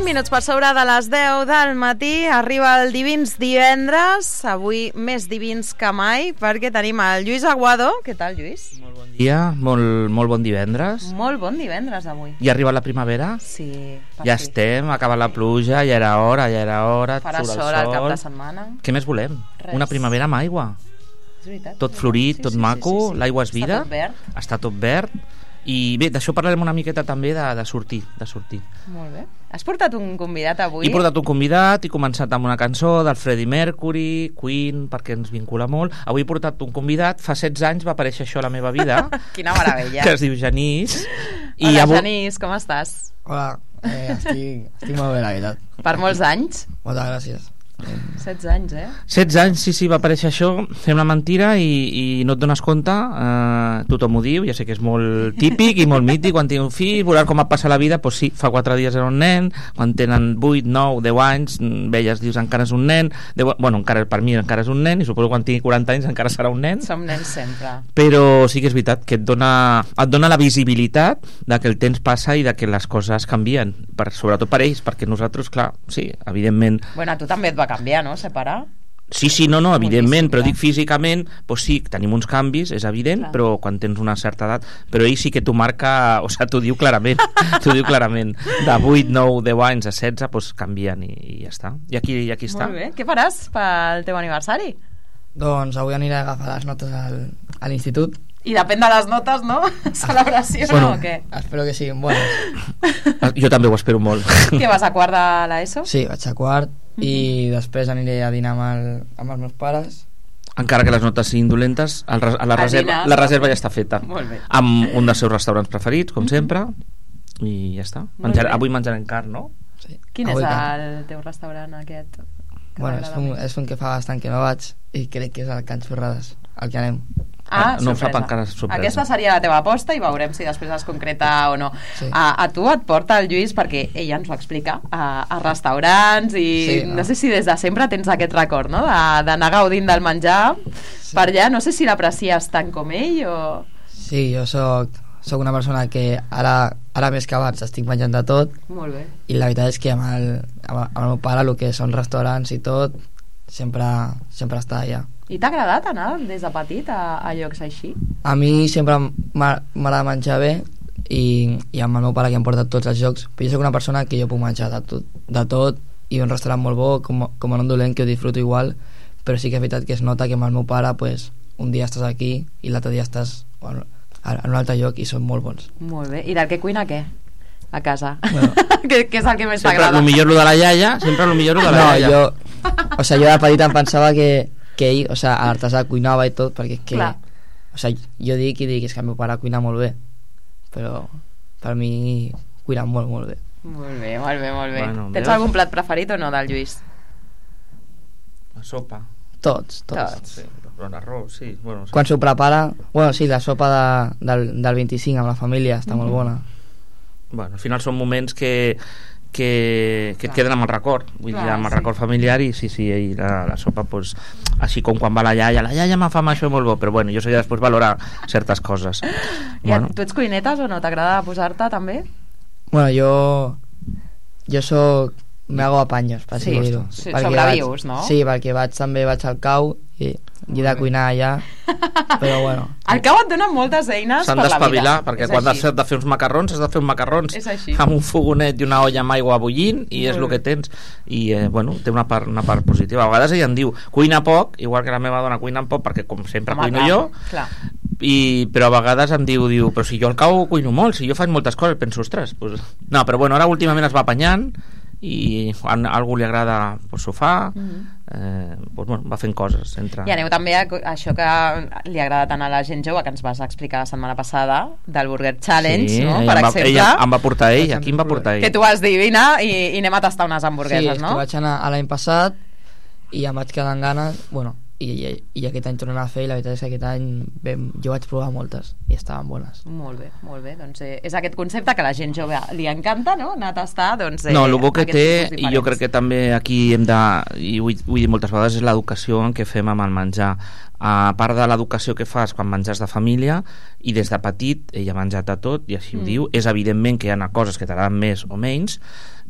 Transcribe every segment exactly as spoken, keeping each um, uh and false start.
minuts per sobre de les deu del matí. Arriba el Divins divendres, avui més divins que mai, perquè tenim el Lluís Aguado. Què tal, Lluís? Molt bon dia, molt, molt bon divendres. Molt bon divendres avui. Ja ha arribat la primavera? Sí. Ja fi. Estem, ha acabat la pluja, ja era hora, ja era hora. Farà sol, sol al cap de setmana. Què més volem? Res. Una primavera amb aigua. És veritat. Tot florit, sí, tot sí, maco, sí, sí, sí. L'aigua és vida. Està tot verd. Està tot verd. I bé, d'això parlarem una miqueta també de, de sortir, de sortir. Molt bé. Has portat un convidat avui? He portat un convidat, he començat amb una cançó del Freddie Mercury, Queen, perquè ens vincula molt. Avui he portat un convidat, fa setze anys va aparèixer això a la meva vida. Quina meravella. Que es diu Genís. I Hola, avui... Genís, com estàs? Hola, eh, estic, estic molt bé, la veritat. Per molts anys? Moltes gràcies. setze anys, eh? setze anys, sí, sí, va aparèixer això, fem la mentira i, i no et dones compte, eh, tothom ho diu, ja sé que és molt típic i molt mític, quan tinc un fill, veuràs com et passa la vida, doncs sí, fa quatre dies era un nen, quan tenen vuit, nou, deu anys, veies, dius, encara és un nen, deu, bueno, encara per mi encara és un nen, i suposo que quan tingui quaranta anys encara serà un nen. Som nens sempre. Però sí que és veritat que et dona, et dona la visibilitat de que el temps passa i de que les coses canvien, per, sobretot per ells, perquè nosaltres, clar, sí, evidentment... Bueno, a tu també et va canviar, no? Separar? Sí, sí, no, no, evidentment, però dic físicament, doncs sí, tenim uns canvis, és evident, clar. Però quan tens una certa edat, però ell sí que t'ho marca, o sigui, t'ho diu clarament, t'ho diu clarament, de vuit, nou, deu anys a setze, doncs canvien i, i ja està. I aquí, i aquí està. Molt bé, què faràs pel teu aniversari? Doncs avui aniré a agafar les notes al, a l'institut. I depèn de les notes, no? Celebració, bueno, no, o què? Espero que siguin bones. Jo també ho espero molt. Què, vas a quart de l'ESO? Sí, vaig a quart, mm-hmm. i després aniré a dinar amb, el, amb els meus pares. Encara que les notes siguin dolentes, el, a la, a reserva, dinar, la reserva ja està feta. Molt bé. Amb un dels seus restaurants preferits, com mm-hmm. sempre, i ja està. Menjar, avui menjarem carn, no? Sí. Quin avui és carn. El teu restaurant aquest? Bueno, és un, és un que fa bastant que no vaig i crec que és el Can Xorrades, al que anem. Ah, no sorpresa. Fa encara sorpresa. Aquesta seria la teva aposta i veurem si després es concreta o no. Sí. A, a tu et porta el Lluís, perquè ella ens ho explica, a, a restaurants i sí, no. no sé si des de sempre tens aquest record, no? D'anar gaudint del menjar sí. per allà. No sé si l'aprecies tant com ell o... Sí, jo soc, soc una persona que ara, ara més que abans estic menjant de tot. Molt bé. I la veritat és que amb el, amb el meu pare el que són restaurants i tot sempre, sempre està allà. I t'ha agradat anar des de petit a, a llocs així? A mi sempre m'agrada menjar bé i, i amb el meu pare que em porta a tots els llocs, però jo soc una persona que jo puc menjar de tot, de tot i un restaurant molt bo com, com en un dolent que ho disfruto igual, però sí que és veritat que es nota que amb el meu pare pues, un dia estàs aquí i l'altre dia estàs bueno, en un altre lloc i són molt bons. Molt bé, i del que cuina què? A casa. Bueno, què, què és el que més t'agrada? Sempre el millor lo de la iaia, sempre el millor lo de la no, iaia. Jo, o sigui, jo de petit em pensava que que ell, o sigui, a l'artesà cuinava i tot perquè és que, Clar. o sigui, jo dic i dic és que el meu pare cuina molt bé però per mi cuina molt, molt bé. Molt bé, molt bé, molt bé. Bueno, Tens algun plat preferit o no del Lluís? La sopa. Tots, tots. tots. Sí, però l'arròs, sí. Bueno, sí. Quan s'ho prepara, bueno, sí, la sopa de, del, del vint-i-cinc amb la família està mm-hmm. molt bona. Bueno, al final són moments que que, que et queden amb el record, vull Clar, dir, amb el sí. record familiar i sí, sí, i la, la sopa pues, així com quan va la iaia la iaia m'ha fa això molt bo, però bueno, jo sé que després valorar certes coses. I bueno. Tu ets cuinetes o no? T'agrada posar-te també? Bueno, jo jo soc me hago apaños per sí, dir-ho, sí, sobrevius, no? Sí, perquè vaig també vaig al cau i, i he de cuinar allà però bueno. Al cau et donen moltes eines s'han per la vida. S'han d'espavilar, perquè quan has de fer uns macarrons has de fer uns macarrons amb un fogonet i una olla amb aigua bullint i és el que tens i eh, bueno, té una part, una part positiva. A vegades ella em diu, cuina poc, igual que la meva dona cuina poc perquè com sempre Home, cuino clar, jo clar. I, però a vegades em diu, diu però si jo al cau cuino molt, si jo faig moltes coses penso, ostres, pues... no, però bueno, ara últimament es va apanyant i a algú li agrada pues, sofà mm-hmm. eh, pues, bueno, va fent coses entre... I aneu també a això que li agrada tant a la gent jove que ens vas explicar la setmana passada del Burger Challenge, sí, no? Per Per va, exemple ella em va portar ell, aquí em va portar ell que tu vas dir, vine i, i anem a tastar unes hamburgueses, sí, no? Sí, que vaig anar l'any passat i em vaig quedar amb ganes bueno, i, i, i aquest any tornem a fer i la veritat és que aquest any vam, jo vaig provar moltes i estaven bones. Molt bé, molt bé, doncs eh, és aquest concepte que a la gent jove li encanta, no? Anar a tastar, doncs... Eh, no, el bo que té, i jo crec que també aquí hem de, i ho, ho he dit moltes vegades, és l'educació en què fem amb el menjar. A part de l'educació que fas quan menges de família i des de petit ella ha menjat de tot i així mm. ho diu, és evidentment que hi ha coses que t'agraden més o menys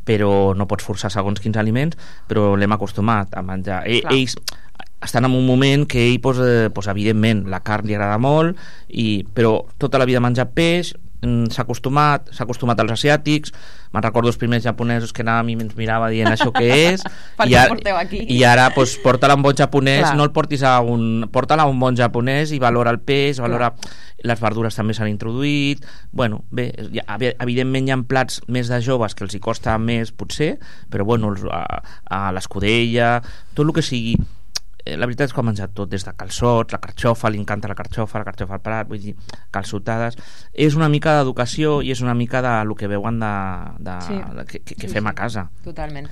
però no pots forçar segons quins aliments, però l'hem acostumat a menjar. E, ells estan en un moment que ell, pues, eh, pues, evidentment, la carn li agrada molt, i, però tota la vida ha menjat peix, s'ha acostumat, s'ha acostumat als asiàtics. Me'n recordo els primers japonesos que anàvem i ens mirava dient això què és i, ara, i ara pues, porta-la a un bon japonès. Clar. No el portis a un porta-la a un bon japonès i valora el peix, valora Clar. Les verdures també s'han introduït. Bueno, bé, evidentment hi ha plats més de joves que els hi costa més potser, però bueno, a, a l'escudella, tot el que sigui. La veritat és que ha menjat tot, des de calçots, la carxofa, li encanta la carxofa, la carxofa al prat, vull dir, calçotades. És una mica d'educació i és una mica de lo que veuen de, de, sí. de, que, que fem a casa. Totalment.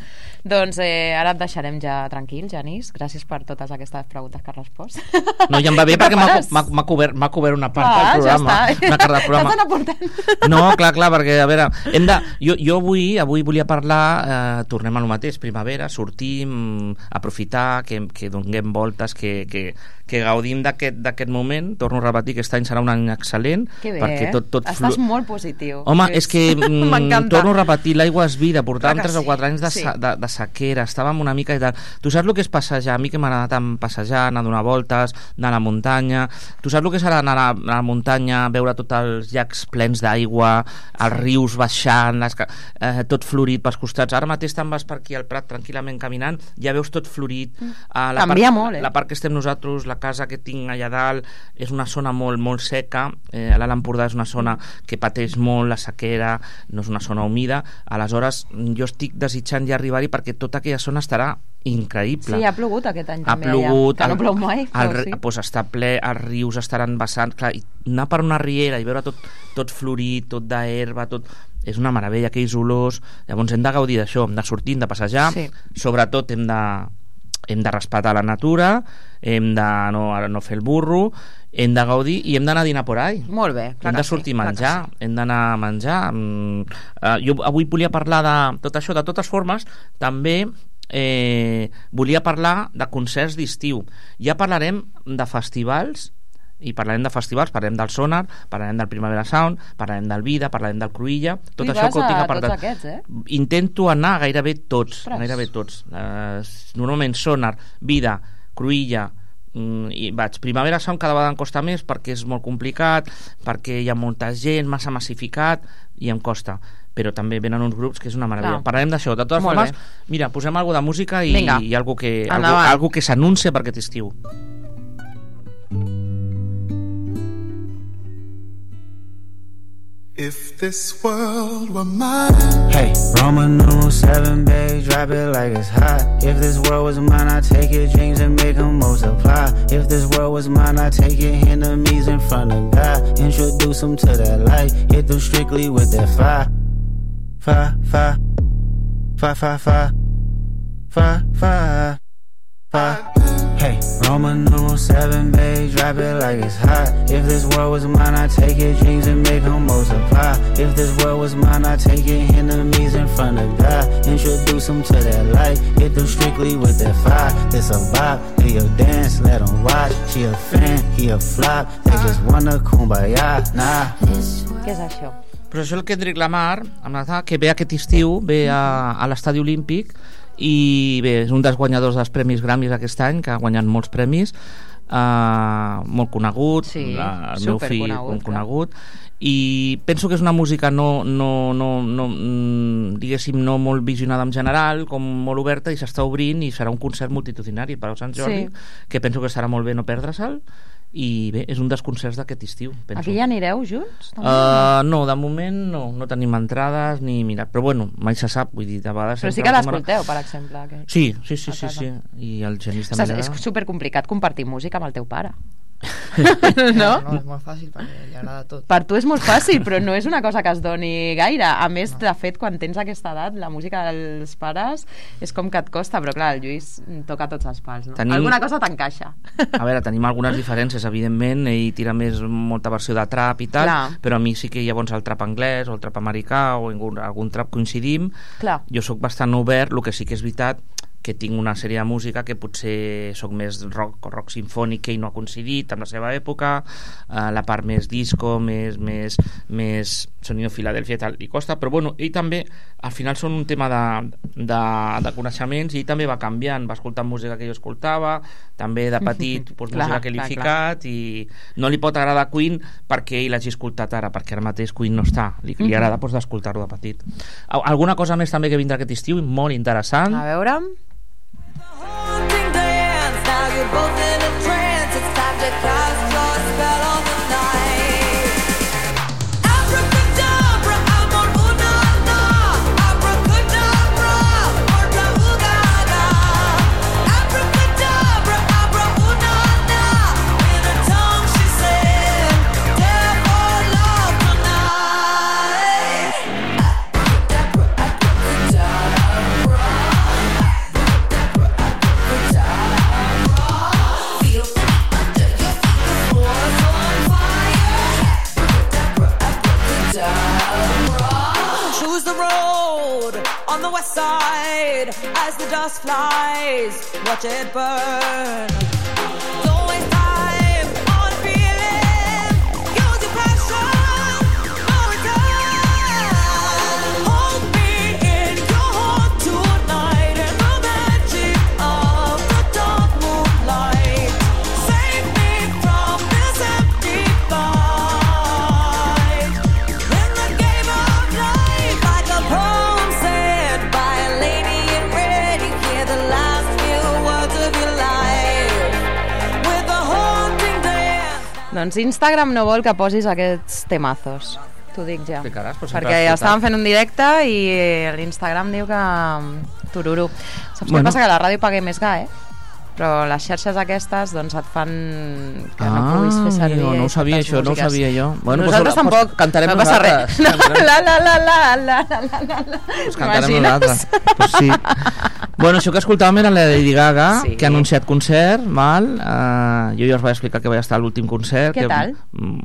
Doncs eh, ara et deixarem ja tranquil, Genís. Gràcies per totes aquestes preguntes que has respost. No, ja em va bé perquè m'ha cobert, cobert una part ah, del programa. Ja una part del programa. Estàs aportant. No, clar, clar, perquè a veure, hem de, jo, jo avui, avui volia parlar, eh, tornem al mateix, primavera, sortim, aprofitar, que, que donem voltes, que, que, que gaudim d'aquest moment. Torno a repetir que aquest any serà un any excel·lent. Que bé, perquè tot, tot estàs flu... molt positiu. Home, és que mm, torno a repetir, l'aigua és vida, portàvem tres sí. o quatre anys de, sí. de, de sequera, estàvem una mica i tal. Tu saps el que és passejar? A mi que m'agrada tant passejar, anar a donar voltes, anar a la muntanya. Tu saps el que serà anar a la muntanya, veure tots els llacs plens d'aigua, els rius baixant, les, eh, tot florit pels costats. Ara mateix te'n vas per aquí al Prat tranquil·lament caminant, ja veus tot florit. A la Canvia part, molt, eh? La part que estem nosaltres, la casa que tinc allà dalt, és una zona molt, molt seca. Eh, a l'Alt Empordà és una zona que pateix molt la sequera, no és una zona humida. Aleshores, jo estic desitjant ja arribar-hi perquè tota aquella zona estarà increïble. Sí, ha plogut aquest any ha també plogut, allà, que no plou mai. El, el, sí. pues està ple, els rius estaran vessant, clar, i anar per una riera i veure tot, tot florit, tot d'herba, tot... és una meravella, aquells olors. Llavors hem de gaudir d'això, hem de sortir, hem de passejar, sí. Sobretot hem de, hem de respectar la natura, hem de no, no fer el burro, hem de gaudir i hem d'anar a dinar por ahí. Molt bé, clar hem de sortir sí, a menjar, sí. Hem d'anar a menjar. Mm, uh, jo avui volia parlar de tot això, de totes formes, també eh, volia parlar de concerts d'estiu. Ja parlarem de festivals, i parlarem de festivals, parlarem del Sonar, parlarem del Primavera Sound, parlarem del Vida, parlarem del Cruïlla, tot això que ho tinc apartat. Aquests, eh? Intento anar a gairebé tots, gairebé tots. Uh, normalment Sonar, Vida, Cruïlla, mm, i vaig. Primavera Sound cada vegada em costa més perquè és molt complicat, perquè hi ha molta gent, massa massificat, i em costa. Però també venen uns grups que és una meravella. Clar. Parlarem d'això. De totes molt formes, bé. Mira, posem alguna de música i, i algo que, algo, algo que s'anuncia per aquest estiu. If this world were mine. Hey, Roman numeral seven, babe, drop it like it's hot. If this world was mine, I'd take your dreams and make them multiply. If this world was mine, I'd take your enemies in front of God. Introduce them to that light, hit them strictly with that fire. Fire, fire, fire, fire, fire, fire, fire, fire. Hey, Roman numeral seven, babe, drop it like it's hot. If this world was mine, I'd take your dreams and make them multiply. If this world was mine, I'd take your enemies in front of God. Introduce them to that light, hit them strictly with that fire. This a vibe, they a dance, let them watch. She a fan, he a flop, they just wanna kumbaya, nah. Què és això? Però això és el Kendrick Lamar, que ve aquest estiu, ve a, a l'Estadi Olímpic, i bé, és un dels guanyadors dels Premis Grammys aquest any, que ha guanyat molts premis, uh, molt conegut, sí, uh, el meu fill conegut, conegut i penso que és una música no, no, no, no diguéssim no molt visionada en general, com molt oberta, i s'està obrint i serà un concert multitudinari per a Sant Jordi, sí. Que penso que serà molt bé no perdre-se'l. I bé, és un dels concerts d'aquest estiu, penso. Aquí ja anireu junts? Uh, no, de moment no, no tenim entrades ni mirat, però bueno, mai se sap, vull dir, de vegades... Però sí que l'escolteu, per exemple. Que... Sí, sí, sí, sí, sí, i el Genís també... És supercomplicat compartir música amb el teu pare. no? no, és molt fàcil perquè li agrada tot. Per tu és molt fàcil, però no és una cosa que es doni gaire. A més, no. De fet, quan tens aquesta edat, la música dels pares és com que et costa, però clar, el Lluís toca tots els pals, no? Tenim... Alguna cosa t'encaixa. A veure, tenim algunes diferències, evidentment, ell tira més molta versió de trap i tal, clar. Però a mi sí que llavors el trap anglès o el trap americà o algun, algun trap coincidim. Clar. Jo sóc bastant obert, el que sí que és veritat que tinc una sèrie de música que potser sóc més rock o rock sinfònic, que ell no ha coincidit amb la seva època, eh, la part més disco, més, més, més sonido Filadèlfia i tal, li costa, però bueno, ell també, al final són un tema de, de, de coneixements, i ell també va canviant, va escoltant música que jo escoltava, també de petit pues, clar, música que li he clar, ficat, clar. I no li pot agradar Queen perquè ell l'hagi escoltat ara, perquè ara mateix Queen no està, li, li agrada pues, d'escoltar-lo de petit. Alguna cosa més també que vindrà aquest estiu, molt interessant. A veure... On the west side, as the dust flies, watch it burn. Don't waste time on feeling, use your passion, no return. Hold me in your heart tonight, in the magic of the dark moonlight. Save me from this empty fight. In the game of life, like a poem by a lady in red, you hear the last few words of your life with a haunting dance. Doncs Instagram no vol que posis aquests temazos, t'ho dic ja. Explicaràs, però perquè ja estàvem fent un directe i l'Instagram diu que tururú. Saps bueno. Què passa? Que la ràdio paga més ga, eh? Però les xarxes aquestes doncs et fan que ah, no puguis fer servir no, no ho sabia això, no ho sabia jo. Bueno, nosaltres pues, tampoc, pues, cantarem no passa nosaltres. Res. No, la la la la la la la la pues cantarem nosaltres. Pues sí. Bueno, això que escoltàvem era la Lady Gaga, sí. Que ha anunciat concert, mal. Uh, jo ja us vaig explicar que vaig estar a l'últim concert. Què que, tal?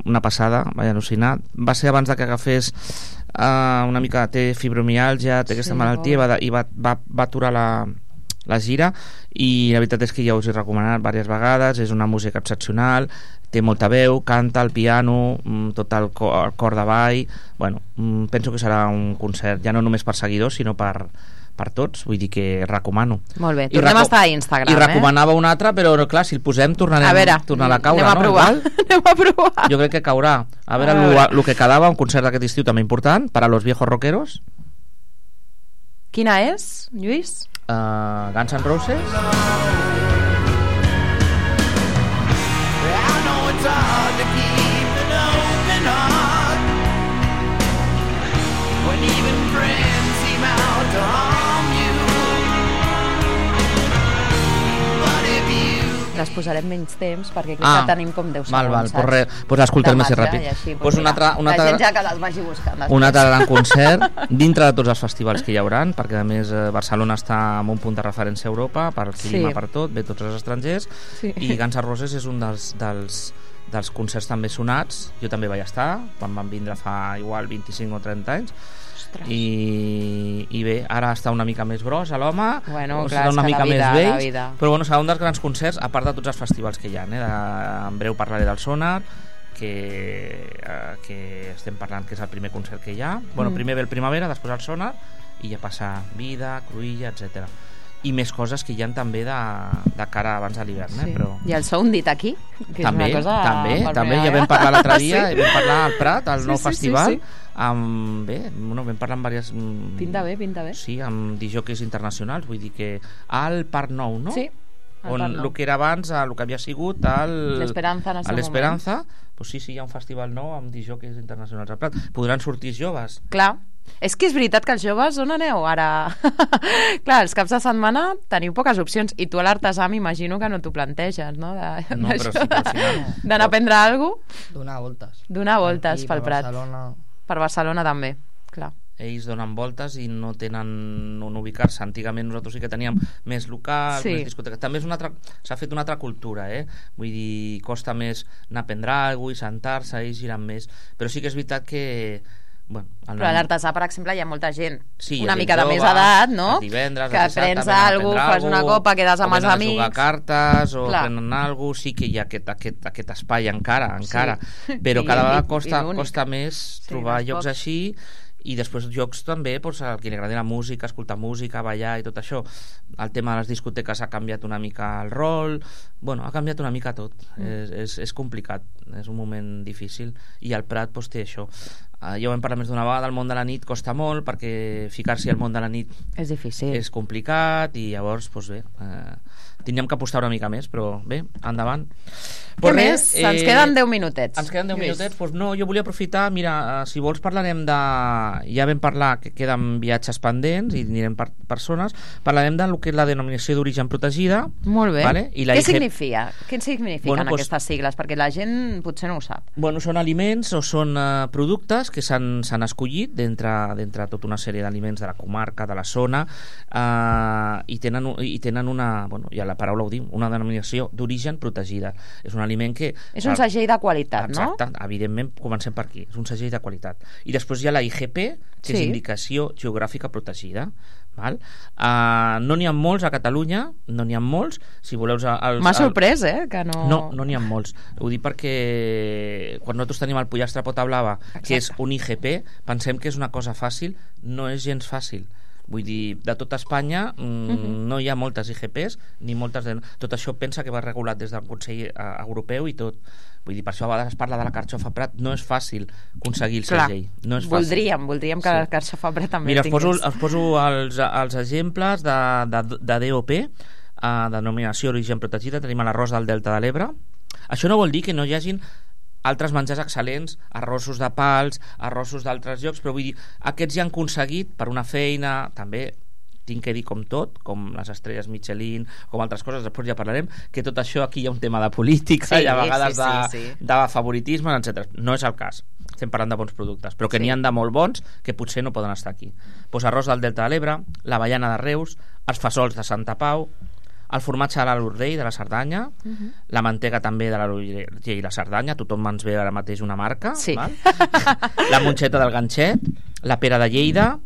Una passada, vaig al·lucinar. Va ser abans de que agafés uh, una mica, té fibromiàlgia, té aquesta sí, malaltia, i va, i va, va, va aturar la la gira, i la veritat és que ja us he recomanat diverses vegades, és una música excepcional, té molta veu, canta al piano, tot el cor, el cor de ball. Bueno, penso que serà un concert ja no només per seguidors sinó per, per tots, vull dir que recomano. Molt bé, tornem a estar a Instagram. I recomanava eh? un altre, però clar, si el posem tornarem a, veure, tornarà a caure, anem a provar, no? Anem a provar. Jo crec que caurà. A veure, el que quedava, un concert d'aquest estiu també important per a los viejos rockeros. Quina és, Lluís? Uh, Guns N' Roses. I know it's hard to keep an open heart when even friends seem out to harm you. But if you les posarem menys temps perquè aquí ah, ja tenim com deu segons, val, val, pues, re, pues l'escoltarem més ràpid. Així, pues un altre, un altre, la gent ja que les vagi buscant. Un altre gran concert dintre de tots els festivals que hi hauran, perquè a més Barcelona està en un punt de referència a Europa per clima, sí. Per tot, ve tots els estrangers, sí. I Guns N' Roses és un dels, dels, dels concerts també sonats. Jo també vaig estar quan van vindre fa igual vint-i-cinc o trenta anys. I, i bé, ara està una mica més gros a l'home, bueno, clar, una mica vida, més vells, però bueno, serà un dels grans concerts a part de tots els festivals que hi ha, eh? De, en breu parlaré del Sonar, que, eh, que estem parlant que és el primer concert que hi ha. Bueno, mm. primer ve el Primavera, després el Sonar, i ja passa Vida, Cruïlla, etcètera. I més coses que hi ha també de, de cara abans de l'hivern, eh? Sí. Però... I el Soundit aquí, que també, és una cosa... També, també, ja vam parlar l'altre dia, sí. Vam parlar al Prat, al sí, nou sí, festival, sí, sí. Amb, bé, bueno, vam parlar amb diverses... Pinta bé, pinta bé. Sí, amb disjòqueis internacionals, vull dir que al Parc Nou, no? Sí, on el que era abans, el que havia sigut l'Esperanza en el seu l'Esperanza, pues sí, sí, hi ha un festival nou amb disjòqueis internacionals al Prat. Podran sortir joves. Clar. És que és veritat que els joves, on aneu ara? Clar, els caps de setmana teniu poques opcions i tu a l'Artesà m'imagino que no t'ho planteges, no? De, no, però sí, però sí. D'anar a prendre alguna cosa? Donar voltes. Donar voltes pel Prat. Barcelona. Per Barcelona també, clar. Ells donen voltes i no tenen on ubicar-se. Antigament nosaltres sí que teníem més locals, sí. Més discoteques. També és una altra, s'ha fet una altra cultura, eh? Vull dir, costa més anar a prendre alguna cosa i sentar-se, ells giren més. Però sí que és veritat que Bueno, però a l'artesà, per exemple, hi ha molta gent sí, una gent mica de jove, més edat, no? Divendres, que prens alguna cosa, fas una copa, quedes amb els amics... O venen a jugar cartes, o Clar. prenen alguna cosa, sí que hi ha aquest, aquest, aquest espai encara, encara. Sí. Però I, cada vegada i, costa, i costa més sí, trobar més llocs poc. així, i després jocs també, doncs, a qui li agradi la música, escoltar música, ballar i tot això. El tema de les discoteques ha canviat una mica el rol, bueno, ha canviat una mica tot. Mm. És, és, és complicat, és un moment difícil, i el Prat doncs, té això. Uh, ja ho hem parlat més d'una vegada, el món de la nit costa molt, perquè ficar-s'hi al món de la nit és difícil, és complicat, i llavors, doncs bé, eh, tindríem que apostar una mica més, però bé, endavant. Què Pues més? Res, Ens queden deu minutets. Ens queden deu Lluís. minutets. Pues no, jo volia aprofitar, mira, eh, si vols parlarem de... Ja vam parlar que queden viatges pendents i anirem per persones. Parlarem del que és la denominació d'origen protegida. Molt bé. Vale? I la Què I G... significa? Què signifiquen Bueno, pues- aquestes sigles? Perquè la gent potser no ho sap. Bueno, són aliments o són eh, productes que s'han s'han escollit d'entre d'entre tota una sèrie d'aliments de la comarca, de la zona, eh, i, tenen, un- i tenen una, bueno, ja la paraula ho diu, una denominació d'origen protegida. És un aliment que... És un segell de qualitat, no? Exacte, evidentment, comencem per aquí. És un segell de qualitat. I després hi ha la I G P, que Sí. és Indicació Geogràfica Protegida. Val? Uh, no n'hi ha molts a Catalunya, no n'hi ha molts. Si voleu... Els, M'ha el- sorprès, eh? Que no... no, no n'hi ha molts. Ho dic perquè quan nosaltres tenim el pollastre pota blava, Exacte. que és un I G P, pensem que és una cosa fàcil, no és gens fàcil. Vull dir, de tota Espanya mm, Mhm. no hi ha moltes I G Ps, ni moltes... De... Tot això pensa que va regulat des del Consell eh, Europeu i tot. Vull dir, per això a vegades es parla de la carxofa Prat, no és fàcil aconseguir el Clar, segell. No és fàcil. voldríem, voldríem que Sí. la carxofa Prat també Mira, us poso, tingués. us poso els, els exemples de, de, de D O P, uh, denominació d'origen protegida. Tenim l'arròs del Delta de l'Ebre. Això no vol dir que no hi hagin altres menjars excel·lents, arrossos de pals, arrossos d'altres llocs, però vull dir, aquests ja han aconseguit per una feina, també tinc que dir com tot, com les estrelles Michelin, com altres coses, després ja parlarem, que tot això aquí hi ha un tema de política, Sí, i a vegades sí, de, sí, sí. de favoritisme, etcètera. No és el cas. Estem parlant de bons productes, però que Sí. n'hi han de molt bons que potser no poden estar aquí. Pues arròs del Delta de l'Ebre, la baiana de Reus, els fesols de Santa Pau, el formatge de l'Alt Urgell de la Cerdanya, Mhm. la mantega també de l'Alt Urgell i la Cerdanya, tothom ens ve ara mateix una marca, Sí. val? La monxeta del ganxet, la pera de Lleida,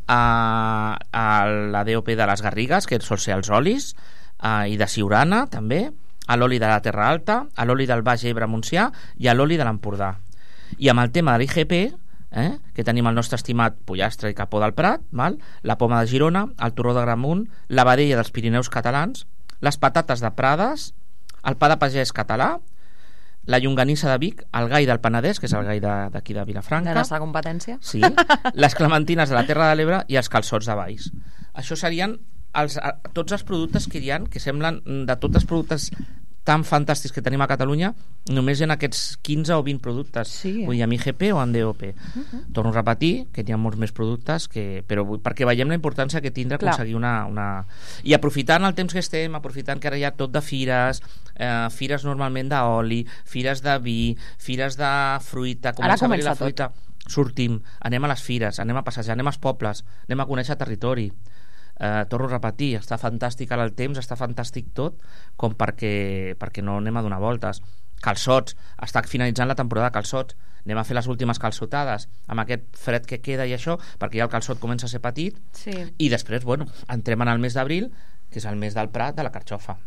a, a la D O P de les Garrigues, que sol ser els olis, a, i de Siurana també, a l'oli de la Terra Alta, a l'oli del Baix Ebre Montsià i a l'oli de l'Empordà. I amb el tema de l'I G P, eh, que tenim el nostre estimat pollastre i capó del Prat, val? La poma de Girona, el torró de Gramunt, la vedella dels Pirineus catalans, les patates de Prades, el pa de pagès català, la llonganissa de Vic, el gai del Penedès, que és el gai de- d'aquí de, de Vilafranca, La nostra competència. sí, les clementines de la Terra de l'Ebre i els calçots de Valls. Això serien els, a- tots els productes que hi ha, que semblen de tots els productes tan fantàstics que tenim a Catalunya, només hi ha aquests quinze o vint productes. Sí, eh? Vull dir, amb I G P o amb D O P. Uh-huh. Torno a repetir que hi ha molts més productes, que, però vull, perquè veiem la importància que tindrà Clar. aconseguir una, una... I aprofitant el temps que estem, aprofitant que ara hi ha tot de fires, eh, fires normalment d'oli, fires de vi, fires de fruita, comença a haver-hi comença la fruita. Sortim, anem a les fires, anem a passejar, anem als pobles, anem a conèixer territori. Eh, torno a repetir, està fantàstic ara el temps, està fantàstic tot, com perquè, perquè no anem a donar voltes. Calçots, està finalitzant la temporada de calçots, anem a fer les últimes calçotades amb aquest fred que queda i això, perquè ja el calçot comença a ser petit, Sí. i després, bueno, entrem en el mes d'abril, que és el mes del Prat de la carxofa.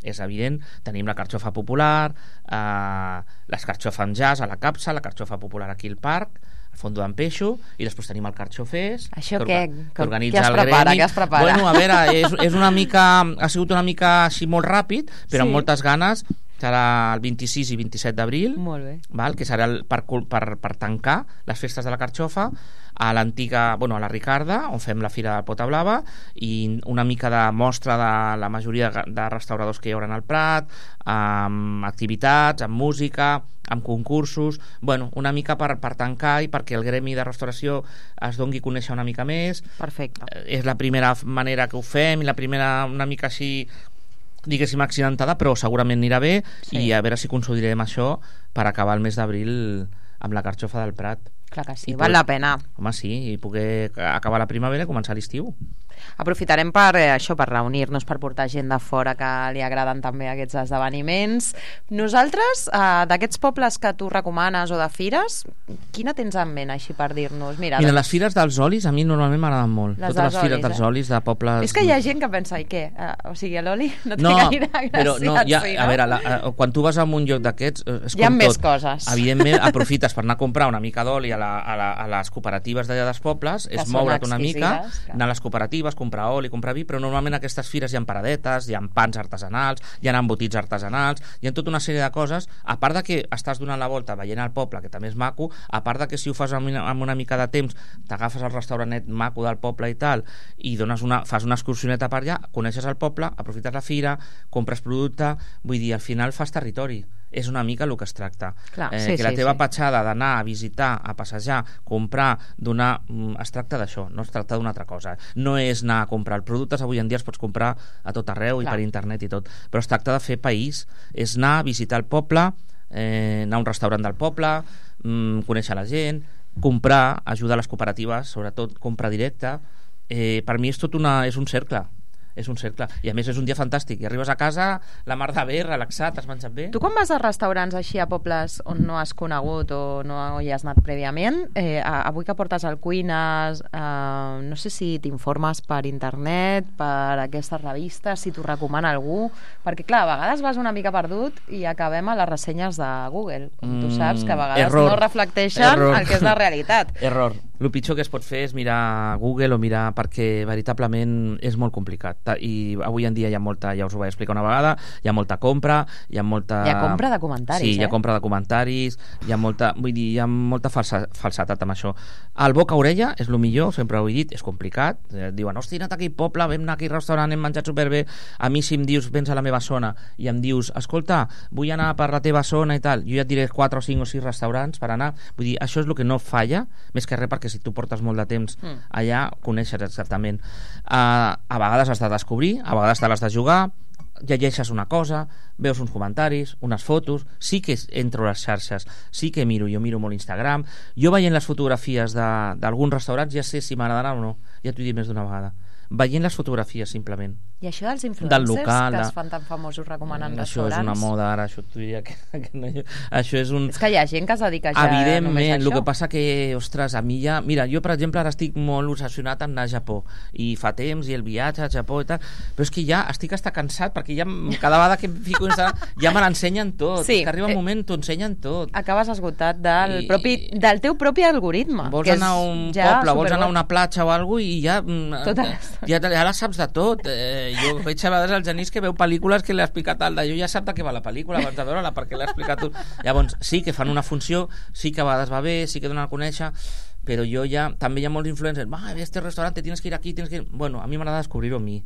És evident, tenim la carxofa popular, eh, l'escarxofa amb jazz a la capsa, la carxofa popular aquí al parc, el fondo d'en peixo, i després tenim el carxofers, Això que, què- orga- què- que organitza què es el prepara, gremi. què es prepara? Bueno, a veure, és, és una mica, ha sigut una mica així molt ràpid, però Sí. amb moltes ganes. Serà el vint-i-sis i vint-i-set d'abril, Molt bé. val? Que serà el, per, cul- per, per tancar les festes de la carxofa a l'antiga, bueno, a la Ricarda, on fem la Fira de Pota Blava, i una mica de mostra de la majoria de, de restauradors que hi haurà al Prat, amb activitats, amb música, amb concursos, bueno, una mica per, per tancar i perquè el gremi de restauració es doni a conèixer una mica més. Perfecte. Eh, És la primera manera que ho fem i la primera una mica així, diguéssim, accidentada, però segurament anirà bé, Sí. i a veure si consolidem això per acabar el mes d'abril amb la carxofa del Prat. Clar que sí, I val poder- la pena. Home, sí, i poder acabar la primavera i començar l'estiu. Aprofitarem per eh, això, per reunir-nos, per portar gent de fora que li agraden també aquests esdeveniments. Nosaltres, eh, d'aquests pobles que tu recomanes o de fires, quina tens en ment així per dir-nos? Mira, Mira doncs, les fires dels olis a mi normalment m'agraden molt. Les Totes dels les fires olis, dels eh? olis de pobles... és que hi ha gent que pensa, i què? Uh, o sigui, l'oli no té No, gaire gràcia. però no, ja, sí, no? a veure, la, a, quan tu vas a un lloc d'aquests eh, és Hi ha com més tot. coses. Evidentment aprofites per anar a comprar una mica d'oli a, la, a, la, a les cooperatives d'allà dels pobles, Que és són moure't una mica, exquisides, clar. anar a les cooperatives, comprar oli, comprar vi, però normalment a aquestes fires hi ha paradetes, hi ha pans artesanals, hi ha embotits artesanals, hi ha tota una sèrie de coses, a part de que estàs donant la volta veient el poble, que també és maco, a part de que si ho fas amb una, amb una mica de temps, t'agafes al restauranet maco del poble i tal, i dones una, fas una excursioneta per allà, coneixes el poble, aprofites la fira, compres producte, vull dir, al final fas territori. És una mica el que es tracta. Clar, eh, sí, que la sí, teva sí. petjada d'anar a visitar, a passejar, comprar, donar... Es tracta d'això, no es tracta d'una altra cosa. No és anar a comprar. Els productes avui en dia els pots comprar a tot arreu Clar. I per internet i tot. Però es tracta de fer país. És anar a visitar el poble, eh, anar a un restaurant del poble, mm, conèixer la gent, comprar, ajudar les cooperatives, sobretot compra directa. Eh, per mi és tot una, és un cercle. És un cercle. I a més és un dia fantàstic. I arribes a casa, la mar de bé, relaxat, has menjat bé. Tu quan vas a restaurants així a pobles on no has conegut o no hi has anat prèviament, eh, avui que portes el Cuines, eh, no sé si t'informes per internet, per aquestes revistes, si t'ho recomana algú, perquè clar, a vegades vas una mica perdut i acabem a les ressenyes de Google, com tu saps, que a vegades error. no reflecteixen Error. el que és la realitat. Error. El pitjor que es pot fer és mirar Google o mirar, perquè veritablement és molt complicat. I avui en dia hi ha molta, ja us ho vaig explicar una vegada, hi ha molta compra, hi ha molta... Hi ha compra de comentaris, sí, eh? hi ha compra de comentaris, hi ha molta, vull dir, hi ha molta falsa, falsetat amb això. El boca-orella és el millor, sempre ho he dit, és complicat. Eh, diuen, hosti, he anat a aquell poble, vam anar a aquell restaurant, hem menjat superbé. A mi si em dius, vens a la meva zona i em dius, escolta, vull anar per la teva zona i tal, jo ja et diré quatre o cinc o sis restaurants per anar. Vull dir, això és el que no falla, més que res perquè si tu portes molt de temps mm. allà, coneixes exactament. Uh, a vegades has de descobrir, a vegades te l'has de jugar, llegeixes una cosa, veus uns comentaris, unes fotos, sí que entro a les xarxes, sí que miro, jo miro molt Instagram, jo veient les fotografies d'alguns restaurants ja sé si m'agradaran o no, ja t'ho he dit més d'una vegada, veient les fotografies simplement. I això dels influencers del local, que es fan tan famosos recomanant això restaurants? Això és una moda ara, això t'ho diria que, que no, això és un... És que hi ha gent que es dedica ja evidentment, només a això. el que passa que, ostres, a mi ja... Mira, jo, per exemple, ara estic molt obsessionat en anar a Japó, i fa temps, i el viatge a Japó i tal, però és que ja estic hasta cansat, perquè ja cada vegada que em fico ja me l'ensenyen tot, sí, és que arriba un eh, moment, t'ho ensenyen tot. Acabes esgotat del, I, propi, del teu propi algoritme. Vols que anar a un ja poble, vols anar a superbo. una platja o alguna cosa, i ja, Tota ja, ja la saps de tot. Eh, jo veig a vegades el Genís que veu pel·lícules que l'ha explicat tal d'allò, ja sap de què va la pel·lícula abans de veure-la, perquè l'ha explicat tot. Llavors, sí que fan una funció, sí que a vegades va bé, sí que donen a conèixer, però jo ja, també hi ha molts influencers, va, este restaurant, tienes que ir aquí, tienes que ir... Bueno, a mi m'agrada descobrir-ho a mi.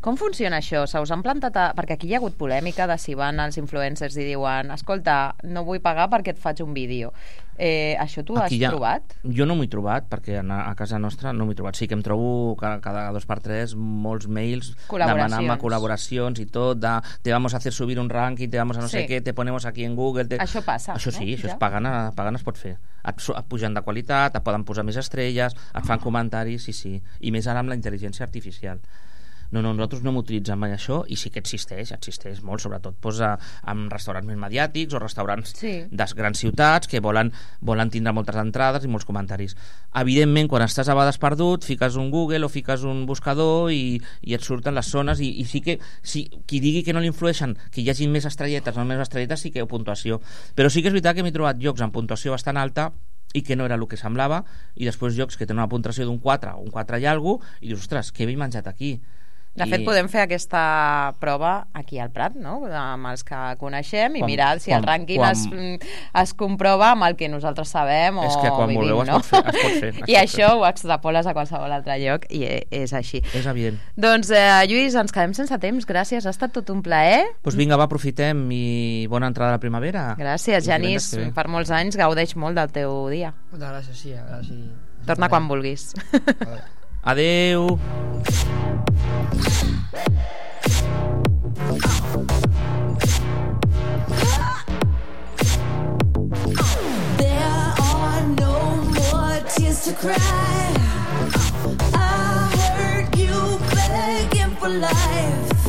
Com funciona això? Se us han plantat... A... Perquè aquí hi ha hagut polèmica de si van els influencers i diuen, escolta, no vull pagar perquè et faig un vídeo. Eh, això tu Aquí has ha... trobat? Jo no m'ho he trobat, perquè a, a casa nostra no m'ho he trobat. Sí que em trobo cada, cada dos per tres molts mails demanant-me col·laboracions i tot, de te vamos a hacer subir un ranking, te vamos a no sí. sé què, te ponemos aquí en Google... Te... Això passa, Això sí, no? això ja? és pagant, pagant es pot fer. Et, et pugen de qualitat, et poden posar més estrelles, et fan comentaris, sí, sí. I més ara amb la intel·ligència artificial. No, no, nosaltres no m'utilitzem mai això, i sí que existeix, existeix molt, sobretot posa en restaurants més mediàtics o restaurants sí. de grans ciutats que volen, volen tindre moltes entrades i molts comentaris. Evidentment, quan estàs a vegades perdut, fiques un Google o fiques un buscador i, i et surten les zones, i, i sí que si, qui digui que no li influeixen, que hi hagi més estrelletes o més estrelletes, sí que hi ha puntuació. Però sí que és veritat que m'he trobat llocs amb puntuació bastant alta i que no era el que semblava, i després llocs que tenen una puntuació d'un quatre o un quatre i alguna cosa, i dius, ostres, què he menjat aquí? De fet, podem fer aquesta prova aquí al Prat, no? Amb els que coneixem i quan, mirar si quan, el rànquing quan... es, es comprova amb el que nosaltres sabem o és que quan vivim, voleu no? es pot fer, es pot fer, es I pot això fer. Ho extrapoles a qualsevol altre lloc i és així. És evident. Doncs, eh, Lluís, ens quedem sense temps. Gràcies, ha estat tot un plaer. Doncs pues vinga, va, aprofitem i bona entrada a la primavera. Gràcies, Genís. Per molts anys gaudeix molt del teu dia. Moltes gràcies, sí. Gràcies. Torna quan vulguis. Adeu. There are no more tears to cry. I heard you life,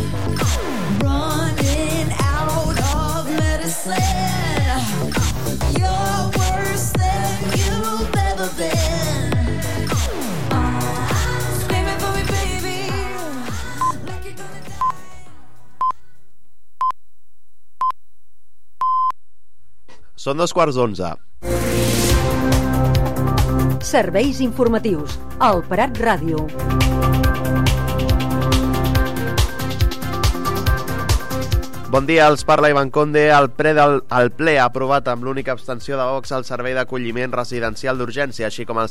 running out of medicine. You're worse than you've ever been. Screaming for me, baby, like you're gonna die. Són dos quarts d'onze. Serveis informatius. El Prat Ràdio. Bon dia, els parla Ivan Conde. El ple, del, el ple ha aprovat amb l'única abstenció de Vox el servei d'acolliment residencial d'urgència, així com el